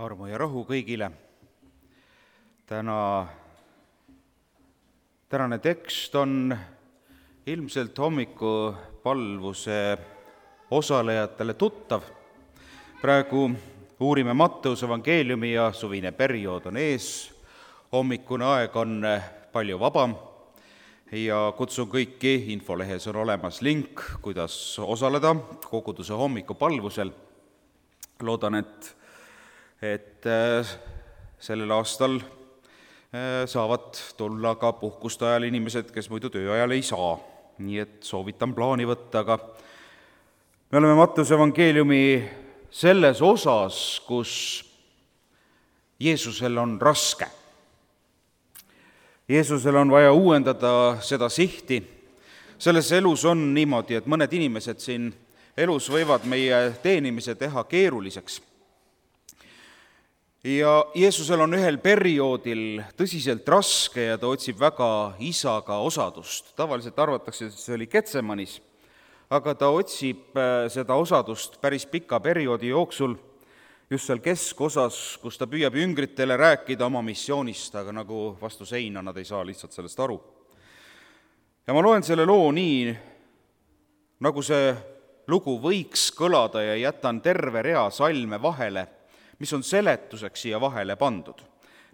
Armu ja rahu kõigile. Tänane tekst on ilmselt hommikupalvuse osalejatele tuttav. Praegu uurime Matteuse evangeeliumi ja suvine periood on ees. Hommikune aeg on palju vabam ja kutsun kõiki, infolehes on olemas link, kuidas osaleda koguduse hommikupalvusel. Loodan, et sellel aastal saavad tulla ka puhkuste ajal inimesed, kes muidu tööajal ei saa. Nii et soovitan plaani võtta, aga me oleme Matteuse evangeeliumi selles osas, kus Jeesusel on raske. Jeesusel on vaja uuendada seda sihti. Selles elus on niimoodi, et mõned inimesed siin elus võivad meie teenimise teha keeruliseks. Ja Jeesusel on ühel perioodil tõsiselt raske ja ta otsib väga isaga osadust. Tavaliselt arvatakse, et see oli Getsemanis, aga ta otsib seda osadust päris pika perioodi jooksul, just seal keskosas, kus ta püüab jüngritele rääkida oma missioonist, aga nagu vastu seina nad ei saa lihtsalt sellest aru. Ja ma loen selle loo nii, nagu see lugu võiks kõlada ja jätan terve rea salme vahele, mis on seletuseks siia vahele pandud.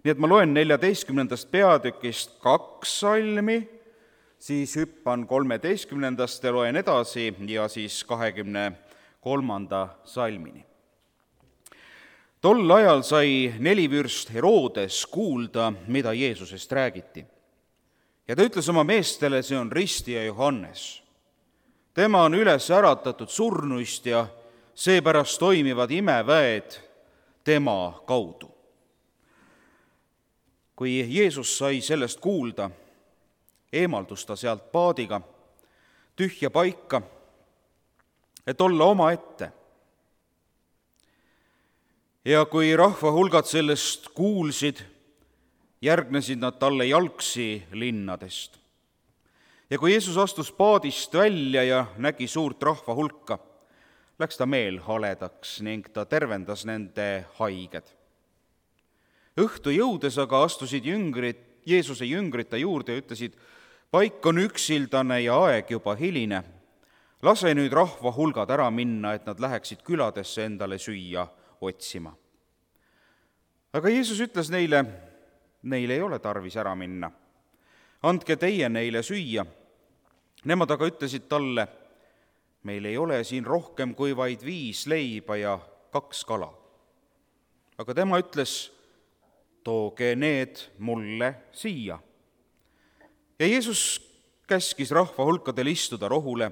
Nii et ma loen 14. peatükist 2 salmi, siis hüppan 13. ja loen edasi ja siis 23. salmini. Tol ajal sai nelivürst Herodes kuulda, mida Jeesusest räägiti. Ja ta ütles oma meestele, see on ristija Johannes. Tema on üles äratatud surnuist ja seepärast toimivad imeväed tema kaudu. Kui Jeesus sai sellest kuulda, eemaldus ta sealt paadiga tühja paika, et olla omaette. Ja kui rahva hulgad sellest kuulsid, järgnesid nad talle jalgsi linnadest. Ja kui Jeesus astus paadist välja ja nägi suurt rahva hulka, läks ta meelhaledaks ning ta tervendas nende haiged. Õhtu jõudes aga astusid Jeesuse jüngrid ta juurde ja ütlesid, paik on üksildane ja aeg juba hiline. Lase nüüd rahva hulgad ära minna, et nad läheksid küladesse endale süüa otsima. Aga Jeesus ütles neile, neil ei ole tarvis ära minna. Andke teie neile süüa. Nemad aga ütlesid talle, meil ei ole siin rohkem kui vaid 5 leiba ja 2 kala. Aga tema ütles, tooge need mulle siia. Ja Jeesus käskis rahva hulkadel istuda rohule,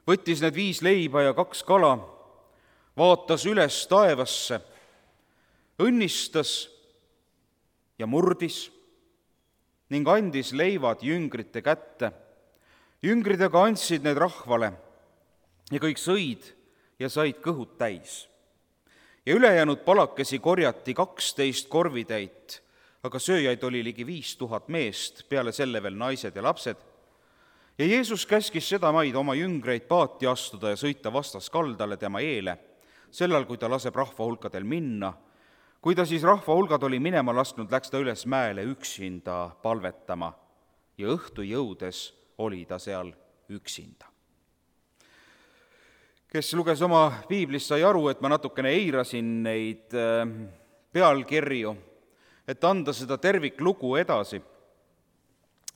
võttis need 5 leiba ja 2 kala, vaatas üles taevasse, õnnistas ja murdis ning andis leivad jüngrite kätte. Jüngrid aga andsid need rahvale ja kõik sõid ja said kõhud täis. Ja ülejäänud palakesi korjati 12 korvitäit, aga sööjaid oli ligi 5000 meest, peale selle veel naised ja lapsed. Ja Jeesus käskis sedamaid oma jüngreid paati astuda ja sõita vastaskaldale tema eele, sellal, kui ta laseb rahva hulkadel minna. Kui ta siis rahva hulgad oli minema lasknud, läks ta üles mäele üksinda palvetama ja õhtu jõudes oli ta seal üksinda. Kes luges oma piiblist, sai aru, et ma natukene eirasin neid pealkirju, et anda seda terviklugu edasi.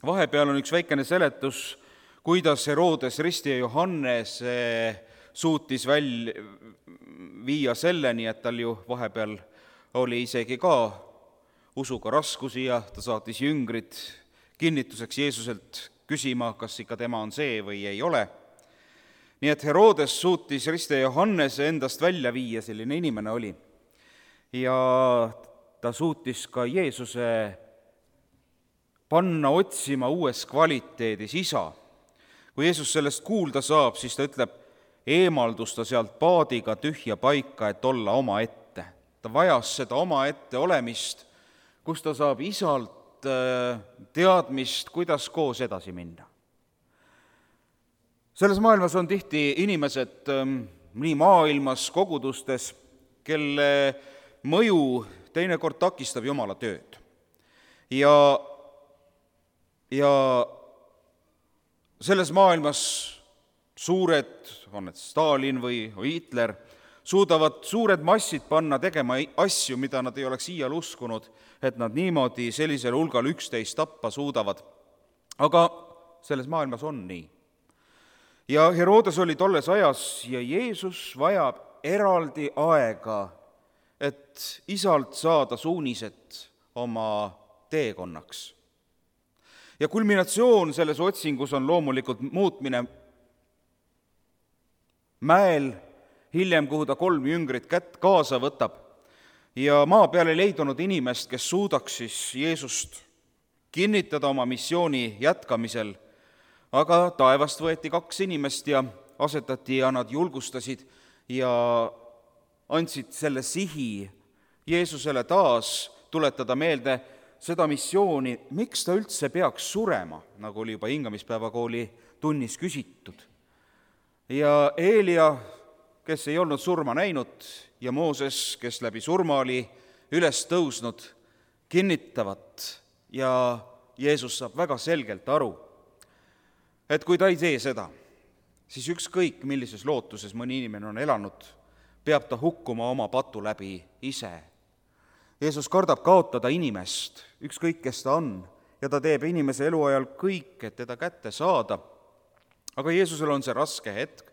Vahepeal on üks väikene seletus, kuidas Herodes ristija Johannes suutis viia selleni, et tal ju vahepeal oli isegi ka usuga raskusi ja ta saatis jüngrid kinnituseks Jeesuselt küsima, kas ikka tema on see või ei ole. Nii et Herodes suutis ristija Johannese endast välja viia, selline inimene oli. Ja ta suutis ka Jeesuse panna otsima uues kvaliteedis isa. Kui Jeesus sellest kuulda saab, siis ta ütleb, eemaldus ta sealt paadiga tühja paika, et olla omaette. Ta vajas seda omaette olemist, kus ta saab isalt teadmist, kuidas koos edasi minna. Selles maailmas on tihti inimesed nii maailmas, kogudustes, kelle mõju teinekord takistab Jumala tööd. Ja selles maailmas suured, on need Stalin või Hitler, suudavad suured massid panna tegema asju, mida nad ei oleks iial uskunud, et nad niimoodi sellisel hulgal üksteist tappa suudavad. Aga selles maailmas on nii. Ja Herodes oli tolles ajas ja Jeesus vajab eraldi aega, et isalt saada suunised oma teekonnaks. Ja kulminatsioon selles otsingus on loomulikult muutmine mäel, hiljem, kuhu ta 3 jüngrit kaasa võtab, ja maa peal ei leidunud inimest, kes suudaks siis Jeesust kinnitada oma missiooni jätkamisel, aga taevast võeti 2 inimest ja asetati ja nad julgustasid ja andsid selle sihi Jeesusele taas tuletada meelde seda missiooni, miks ta üldse peaks surema, nagu oli juba hingamispäevakooli tunnis küsitud. Ja Eelia, kes ei olnud surma näinud, ja Mooses, kes läbi surma oli üles tõusnud, kinnitavad ja Jeesus saab väga selgelt aru, et kui ta ei tee seda, siis ükskõik millises lootuses mõni inimene on elanud, peab ta hukkuma oma patu läbi ise. Jeesus kardab kaotada inimest, ükskõik kes ta on, ja ta teeb inimese eluajal kõik, et teda kätte saada. Aga Jeesusel on see raske hetk,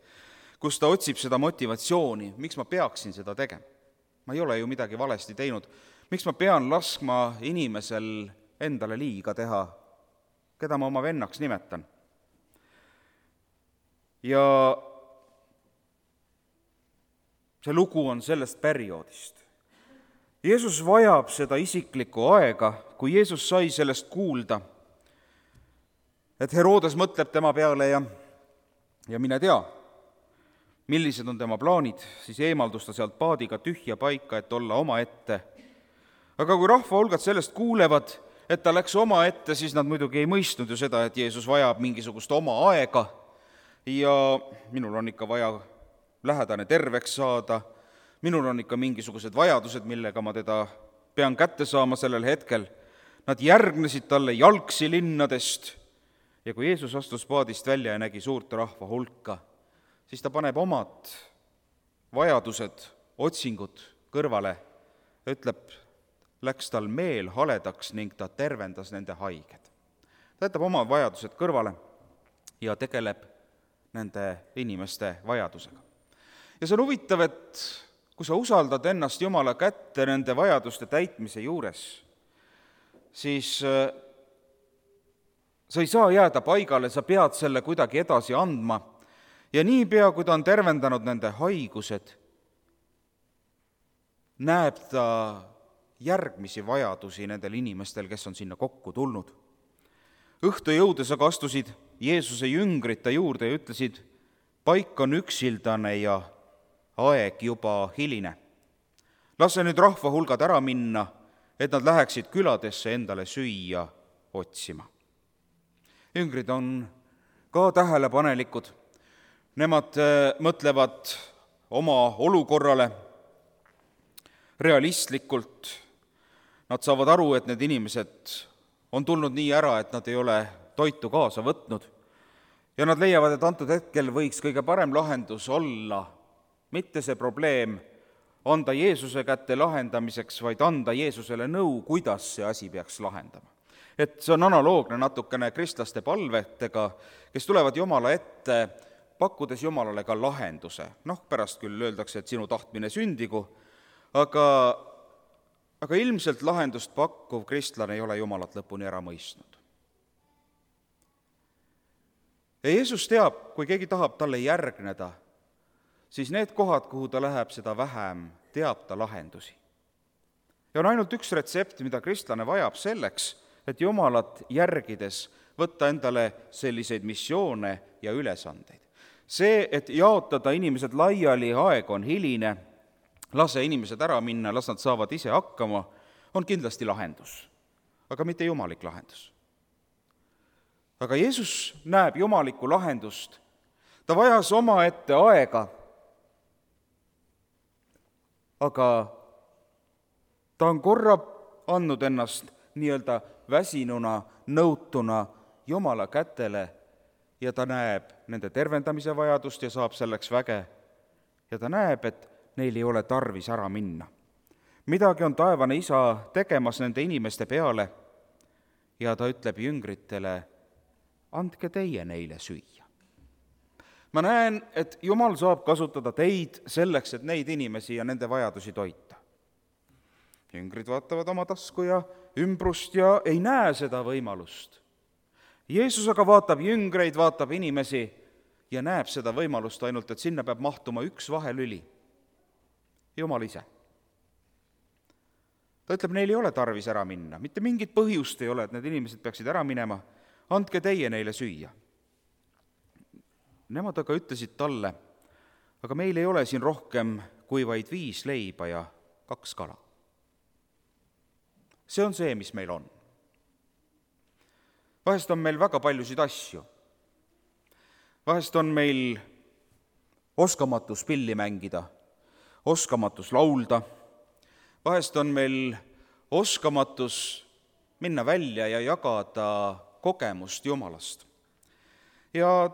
kus ta otsib seda motivatsiooni, miks ma peaksin seda tegema. Ma ei ole ju midagi valesti teinud. Miks ma pean laskma inimesel endale liiga teha, keda ma oma vennaks nimetan? Ja see lugu on sellest perioodist. Jeesus vajab seda isiklikku aega, kui Jeesus sai sellest kuulda, et Herodes mõtleb tema peale ja mine tea, millised on tema plaanid, siis eemaldus ta sealt paadiga tühja paika, et olla omaette. Aga kui rahvahulgad sellest kuulevad, et ta läks omaette, siis nad muidugi ei mõistnud ju seda, et Jeesus vajab mingisugust oma aega ja minul on ikka vaja lähedane terveks saada, minul on ikka mingisugused vajadused, millega ma teda pean kätte saama sellel hetkel. Nad järgnesid talle jalgsi linnadest ja kui Jeesus astus paadist välja ja nägi suurt rahva hulka, siis ta paneb omad vajadused, otsingud kõrvale ja ütleb, läks tal meel haledaks ning ta tervendas nende haiged. Ta jätab omad vajadused kõrvale ja tegeleb nende inimeste vajadusega. Ja see on huvitav, et kui sa usaldad ennast Jumala kätte nende vajaduste täitmise juures, siis sa ei saa jääda paigale, sa pead selle kuidagi edasi andma ja niipea, kui ta on tervendanud nende haigused, näeb ta järgmisi vajadusi nendel inimestel, kes on sinna kokku tulnud. Õhtu jõudes aga astusid Jeesuse jüngrid ta juurde ja ütlesid, paik on üksildane ja aeg juba hiline. Lase nüüd rahvahulgad ära minna, et nad läheksid küladesse endale süüa otsima. Jüngrid on ka tähelepanelikud. Nemad mõtlevad oma olukorrale realistlikult. Nad saavad aru, et need inimesed on tulnud nii ära, et nad ei ole toitu kaasa võtnud. Ja nad leiavad, et antud hetkel võiks kõige parem lahendus olla mitte see probleem anda Jeesuse kätte lahendamiseks, vaid anda Jeesusele nõu, kuidas see asi peaks lahendama. Et see on analoogne natukene kristlaste palvetega, kes tulevad Jumala ette, pakkudes Jumalale ka lahenduse. Pärast küll öeldakse, et sinu tahtmine sündigu, aga ilmselt lahendust pakkuv kristlane ei ole Jumalat lõpuni ära mõistnud. Ja Jeesus teab, kui keegi tahab talle järgneda, siis need kohad, kuhu ta läheb, seda vähem teab ta lahendusi. Ja on ainult üks retsept, mida kristlane vajab selleks, et Jumalat järgides võtta endale selliseid missioone ja ülesandeid. See, et jaotada inimesed laiali, aeg on hiline, lase inimesed ära minna, las nad saavad ise hakkama, on kindlasti lahendus, aga mitte jumalik lahendus. Aga Jeesus näeb jumalikku lahendust. Ta vajas omaette aega, aga ta on korra andnud ennast nii-öelda väsinuna, nõutuna Jumala kätele ja ta näeb nende tervendamise vajadust ja saab selleks väge. Ja ta näeb, et neil ei ole tarvis ära minna. Midagi on taevane isa tegemas nende inimeste peale ja ta ütleb jüngritele, andke teie neile süüa. Ma näen, et Jumal saab kasutada teid selleks, et neid inimesi ja nende vajadusi toita. Jüngrid vaatavad oma tasku ja ümbrust ja ei näe seda võimalust. Jeesus aga vaatab jüngreid, vaatab inimesi ja näeb seda võimalust ainult, et sinna peab mahtuma üks vahelüli. Jumal ise. Ta ütleb, neil ei ole tarvis ära minna, mitte mingit põhjust ei ole, et need inimesed peaksid ära minema, andke teie neile süüa. Nemad aga ütlesid talle, aga meil ei ole siin rohkem kui vaid 5 leiba ja 2 kala. See on see, mis meil on. Vahest on meil väga paljusid asju. Vahest on meil oskamatus pilli mängida, oskamatus laulda, vahest on meil oskamatus minna välja ja jagada kogemust Jumalast. Ja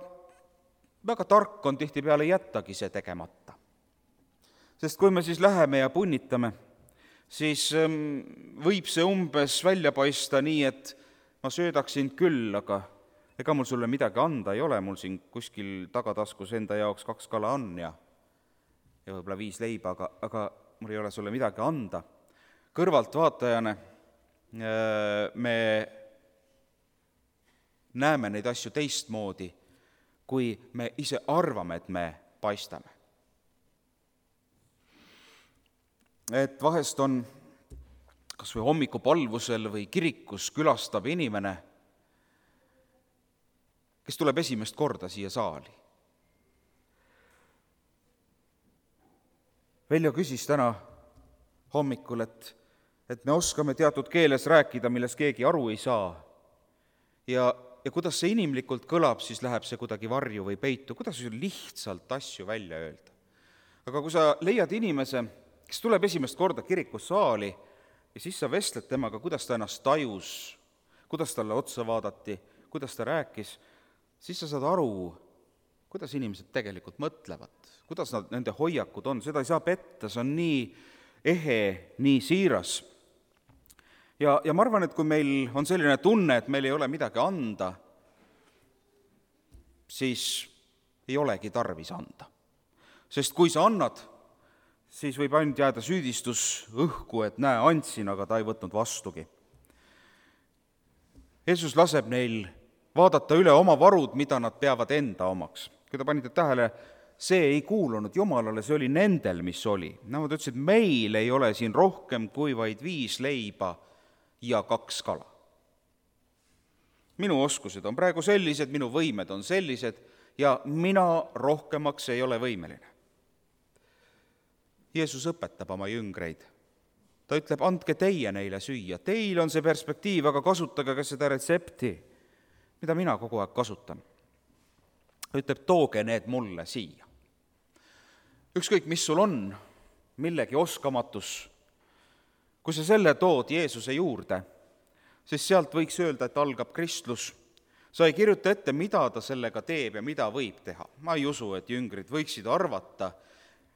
väga tark on tihtipeale jättagi see tegemata. Sest kui me siis läheme ja punnitame, siis võib see umbes välja paista nii, et ma söödaksin küll, aga ega mul sulle midagi anda ei ole, mul siin kuskil tagataskus enda jaoks 2 kala on ja võib-olla 5 leiba, aga mul ei ole sulle midagi anda. Kõrvaltvaatajana me näeme neid asju teistmoodi, kui me ise arvame, et me paistame. Et vahest on kas või hommikupalvusel või kirikus külastab inimene, kes tuleb esimest korda siia saali. Veljo küsis täna hommikul, et me oskame teatud keeles rääkida, milles keegi aru ei saa. Ja kuidas see inimlikult kõlab, siis läheb see kuidagi varju või peitu, kuidas lihtsalt asju välja öelda. Aga kui sa leiad inimese, kes tuleb esimest korda kirikussaali ja siis sa vestled temaga, kuidas ta ennast tajus, kuidas talle otsa vaadati, kuidas ta rääkis, siis sa saad aru, kuidas inimesed tegelikult mõtlevad, kuidas nende hoiakud on, seda ei saa petta, see on nii ehe, nii siiras. Ja ma arvan, et kui meil on selline tunne, et meil ei ole midagi anda, siis ei olegi tarvis anda. Sest kui sa annad, siis võib ainult jääda süüdistus õhku, et näe, andsin, aga ta ei võtnud vastugi. Jeesus laseb neil vaadata üle oma varud, mida nad peavad enda omaks. Kui te panite tähele, see ei kuulunud Jumalale, see oli nendel, mis oli. Nad ütlesid, meil ei ole siin rohkem kui vaid 5 leiba ja 2 kala. Minu oskused on praegu sellised, minu võimed on sellised ja mina rohkemaks ei ole võimeline. Jeesus õpetab oma jüngreid. Ta ütleb, andke teie neile süüa. Teil on see perspektiiv, aga kasutage ka seda retsepti, mida mina kogu aeg kasutan. Ta ütleb, tooge need mulle siia. Ükskõik, mis sul on, millegi oskamatus, kui sa selle tood Jeesuse juurde, siis sealt võiks öelda, et algab kristlus. Sa ei kirjuta ette, mida ta sellega teeb ja mida võib teha. Ma ei usu, et jüngrid võiksid arvata,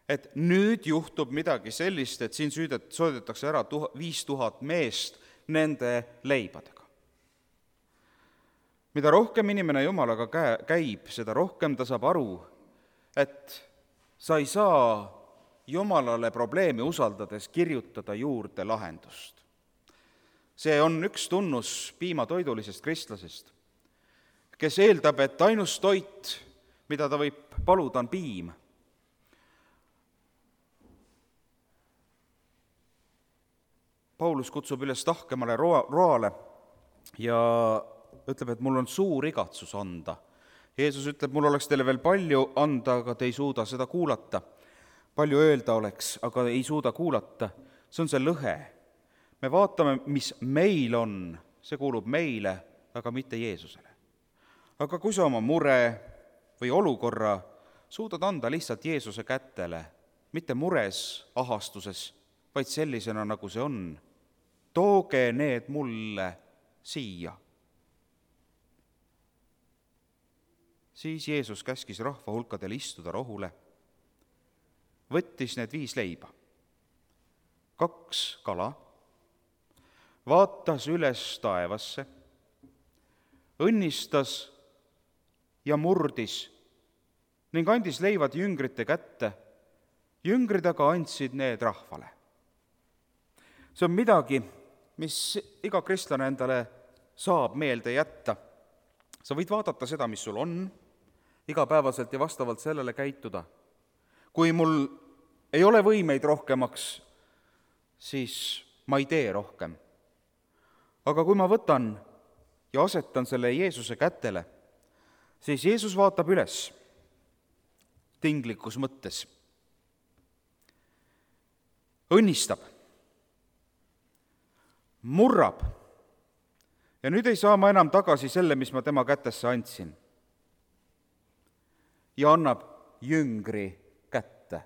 et nüüd juhtub midagi sellist, et siin soodetakse ära 5000 meest nende leibadega. Mida rohkem inimene Jumalaga käib, seda rohkem ta saab aru, et sa ei saa Jumalale probleemi usaldades kirjutada juurde lahendust. See on üks tunnus piimatoidulisest kristlasest, kes eeldab, et ainus toit, mida ta võib paluda, on piim. Paulus kutsub üles tahkemale roale ja ütleb, et mul on suur igatsus anda. Jeesus ütleb, mul oleks teile veel palju anda, aga te ei suuda seda kuulata. Palju öelda oleks, aga ei suuda kuulata. See on see lõhe. Me vaatame, mis meil on, see kuulub meile, aga mitte Jeesusele. Aga kui sa oma mure või olukorra suudad anda lihtsalt Jeesuse kätele, mitte mures, ahastuses, vaid sellisena, nagu see on. Tooge need mulle siia. Siis Jeesus käskis rahva hulkadel istuda rohule, võttis need 5 leiba, 2 kala, vaatas üles taevasse, õnnistas ja murdis ning andis leivad jüngrite kätte. Jüngrid aga andsid need rahvale. See on midagi, mis iga kristlane endale saab meelde jätta. Sa võid vaadata seda, mis sul on, igapäevaselt ja vastavalt sellele käituda. Kui mul ei ole võimeid rohkemaks, siis ma ei tee rohkem. Aga kui ma võtan ja asetan selle Jeesuse kätele, siis Jeesus vaatab üles tinglikus mõttes. Õnnistab, murrab ja nüüd ei saa ma enam tagasi selle, mis ma tema kätesse andsin. Ja annab jüngri kätte.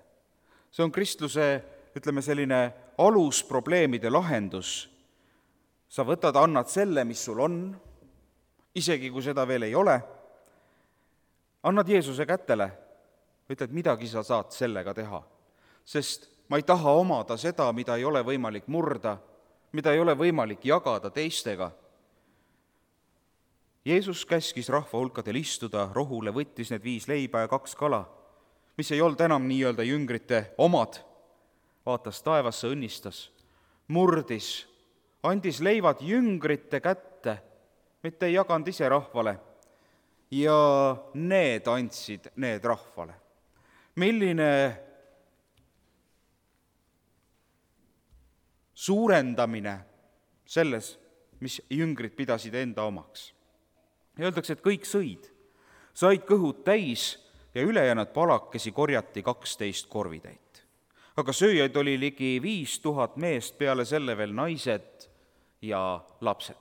See on kristluse, selline alusprobleemide lahendus. Sa võtad, annad selle, mis sul on, isegi kui seda veel ei ole, annad Jeesuse kätele, ütled, midagi sa saad sellega teha, sest ma ei taha omada seda, mida ei ole võimalik murda, mida ei ole võimalik jagada teistega. Jeesus käskis rahva hulkadel istuda rohule, võttis need 5 leiba ja 2 kala, mis ei olnud enam nii-öelda jüngrite omad, vaatas taevasse, õnnistas, murdis, andis leivad jüngrite kätte, mitte ei jaganud ise rahvale, ja need andsid need rahvale. Milline suurendamine selles, mis jüngrid pidasid enda omaks. Öeldakse, et kõik said kõhud täis ja ülejäänud palakesi korjati 12 korvitäit. Aga sööjaid oli ligi 5000 meest, peale selle veel naised ja lapsed.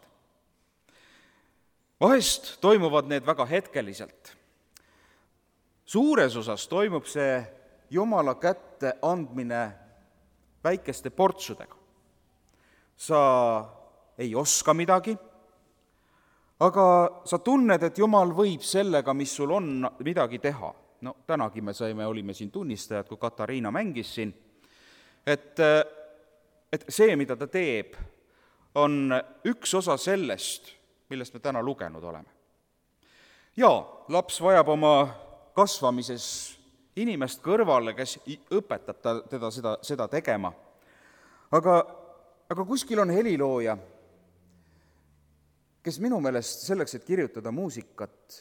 Vahest toimuvad need väga hetkeliselt. Suures osas toimub see Jumala kätte andmine väikeste portsudega. Sa ei oska midagi, aga sa tunned, et Jumal võib sellega, mis sul on, midagi teha. No tänagi olime siin tunnistajad, kui Katariina mängis siin, et see, mida ta teeb, on üks osa sellest, millest me täna lugenud oleme. Jaa, laps vajab oma kasvamises inimest kõrvale, kes õpetab teda seda tegema. Aga kuskil on helilooja, kes minu meelest selleks, et kirjutada muusikat,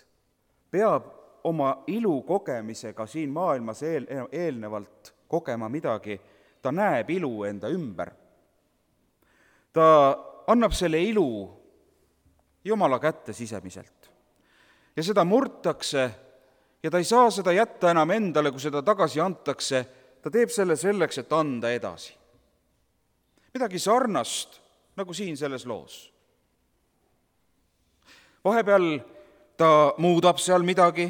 peab oma ilu kogemisega siin maailmas eelnevalt kogema midagi. Ta näeb ilu enda ümber. Ta annab selle ilu Jumala kätte sisemiselt. Ja seda murtakse ja ta ei saa seda jätta enam endale, kui seda tagasi antakse. Ta teeb selle selleks, et anda edasi. Midagi sarnast, nagu siin selles loos. Vahepeal ta muudab seal midagi,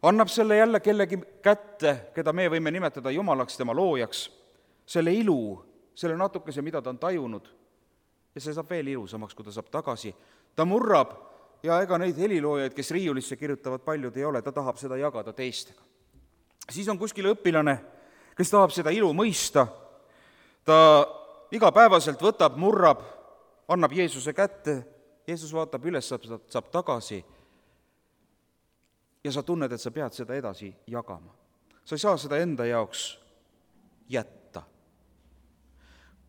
annab selle jälle kellegi kätte, keda me võime nimetada Jumalaks, tema loojaks, selle ilu, selle natukese, mida ta on tajunud, ja see saab veel ilusamaks, kui ta saab tagasi. Ta murrab ja ega neid heliloojaid, kes riiulisse kirjutavad, paljud ei ole, ta tahab seda jagada teistega. Siis on kuskil õpilane, kes tahab seda ilu mõista, ta igapäevaselt võtab, murrab, annab Jeesuse kätte, Jeesus vaatab üles, saab tagasi ja sa tunned, et sa pead seda edasi jagama. Sa ei saa seda enda jaoks jätta.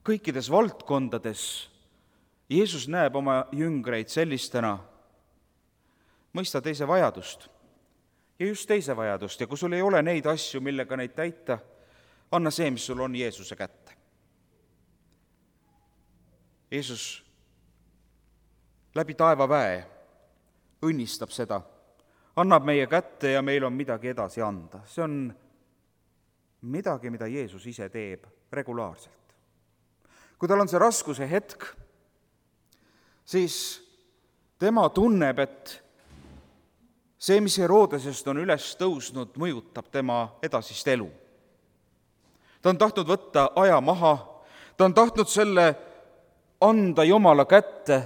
Kõikides valdkondades Jeesus näeb oma jüngreid sellistena, mõista teise vajadust ja just teise vajadust ja kui sul ei ole neid asju, millega neid täita, anna see, mis sul on, Jeesuse kätte. Jeesus läbi taevaväe õnnistab seda, annab meie kätte ja meil on midagi edasi anda. See on midagi, mida Jeesus ise teeb regulaarselt. Kui tal on see raskuse hetk, siis tema tunneb, et see, mis Herodesest on üles tõusnud, mõjutab tema edasist elu. Ta on tahtnud võtta aja maha, ta on tahtnud selle anda Jumala kätte,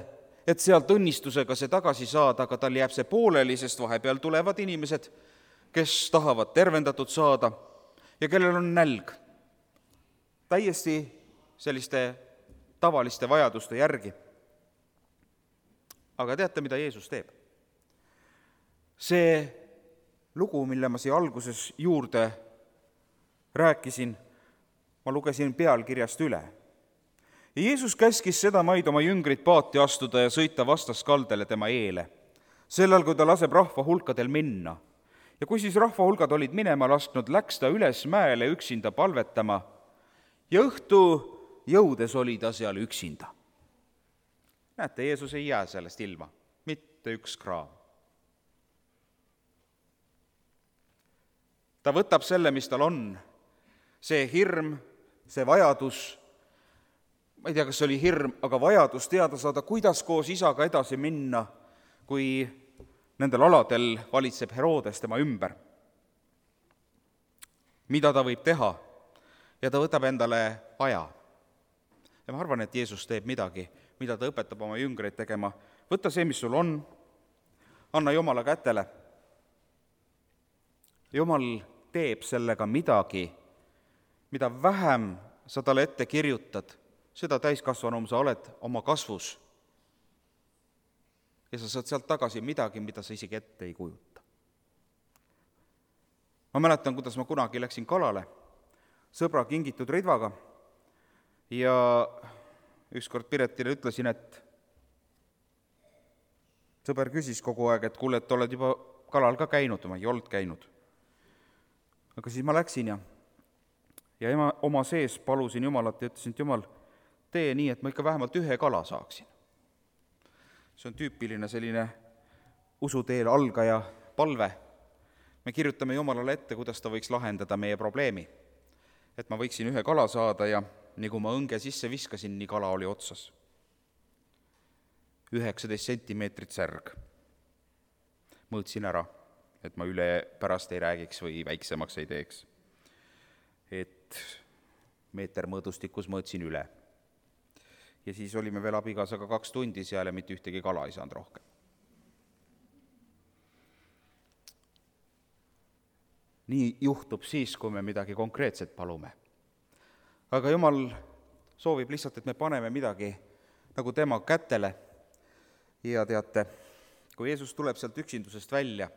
et sealt õnnistusega see tagasi saada, aga tal jääb see pooleli, sest vahepeal tulevad inimesed, kes tahavad tervendatud saada ja kellel on nälg täiesti selliste tavaliste vajaduste järgi. Aga teate, mida Jeesus teeb? See lugu, mille ma siia alguses juurde rääkisin, ma lugesin pealkirjast üle. Ja Jeesus käskis sedamaid oma jüngrid paati astuda ja sõita vastaskaldele tema eele, sellal, kui ta laseb rahva hulkadel minna. Ja kui siis rahva hulgad olid minema lasknud, läks ta üles mäele üksinda palvetama ja õhtu jõudes oli ta seal üksinda. Näete, Jeesus ei jää sellest ilma, mitte üks kraam. Ta võtab selle, mis tal on, see hirm, see vajadus, ma ei tea, kas see oli hirm, aga vajadus teada saada, kuidas koos isaga edasi minna, kui nendel aladel valitseb Herodes tema ümber. Mida ta võib teha? Ja ta võtab endale aja. Ja ma arvan, et Jeesus teeb midagi, mida ta õpetab oma jüngreid tegema. Võta see, mis sul on, anna Jumala kätele. Jumal teeb sellega midagi, mida vähem sa talle ette kirjutad, seda täiskasvanum sa oled oma kasvus. Ja sa saad sealt tagasi midagi, mida sa isegi ette ei kujuta. Ma mäletan, kuidas ma kunagi läksin kalale sõbra kingitud ridvaga ja ükskord Piretile ütlesin, et sõber küsis kogu aeg, et kuule, et oled juba kalal ka käinud, ma ei olnud käinud. Aga siis ma läksin ja oma sees palusin Jumalat ja ütlesin, et Jumal, tee nii, et ma ikka vähemalt ühe kala saaksin. See on tüüpiline selline usuteel algaja palve. Me kirjutame Jumalale ette, kuidas ta võiks lahendada meie probleemi. Et ma võiksin ühe kala saada ja nii kui ma õnge sisse viskasin, nii kala oli otsas. 19 sentimeetrit särg. Mõõtsin ära, et ma üle pärast ei räägiks või väiksemaks ei teeks. Et meeter mõõdustikus mõõtsin üle. Ja siis olime veel abikaasaga 2 tundi seal ja mitte ühtegi kala ei saanud rohkem. Nii juhtub siis, kui me midagi konkreetset palume. Aga Jumal soovib lihtsalt, et me paneme midagi nagu tema kätele ja teate, kui Jeesus tuleb sealt üksindusest välja,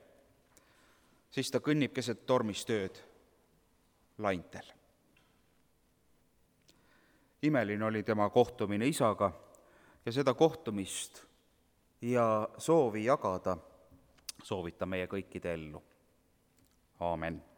siis ta kõnnib keset tormistööd laintel. Imeline oli tema kohtumine isaga ja seda kohtumist ja soovi jagada soovita meie kõikide ellu. Aamen.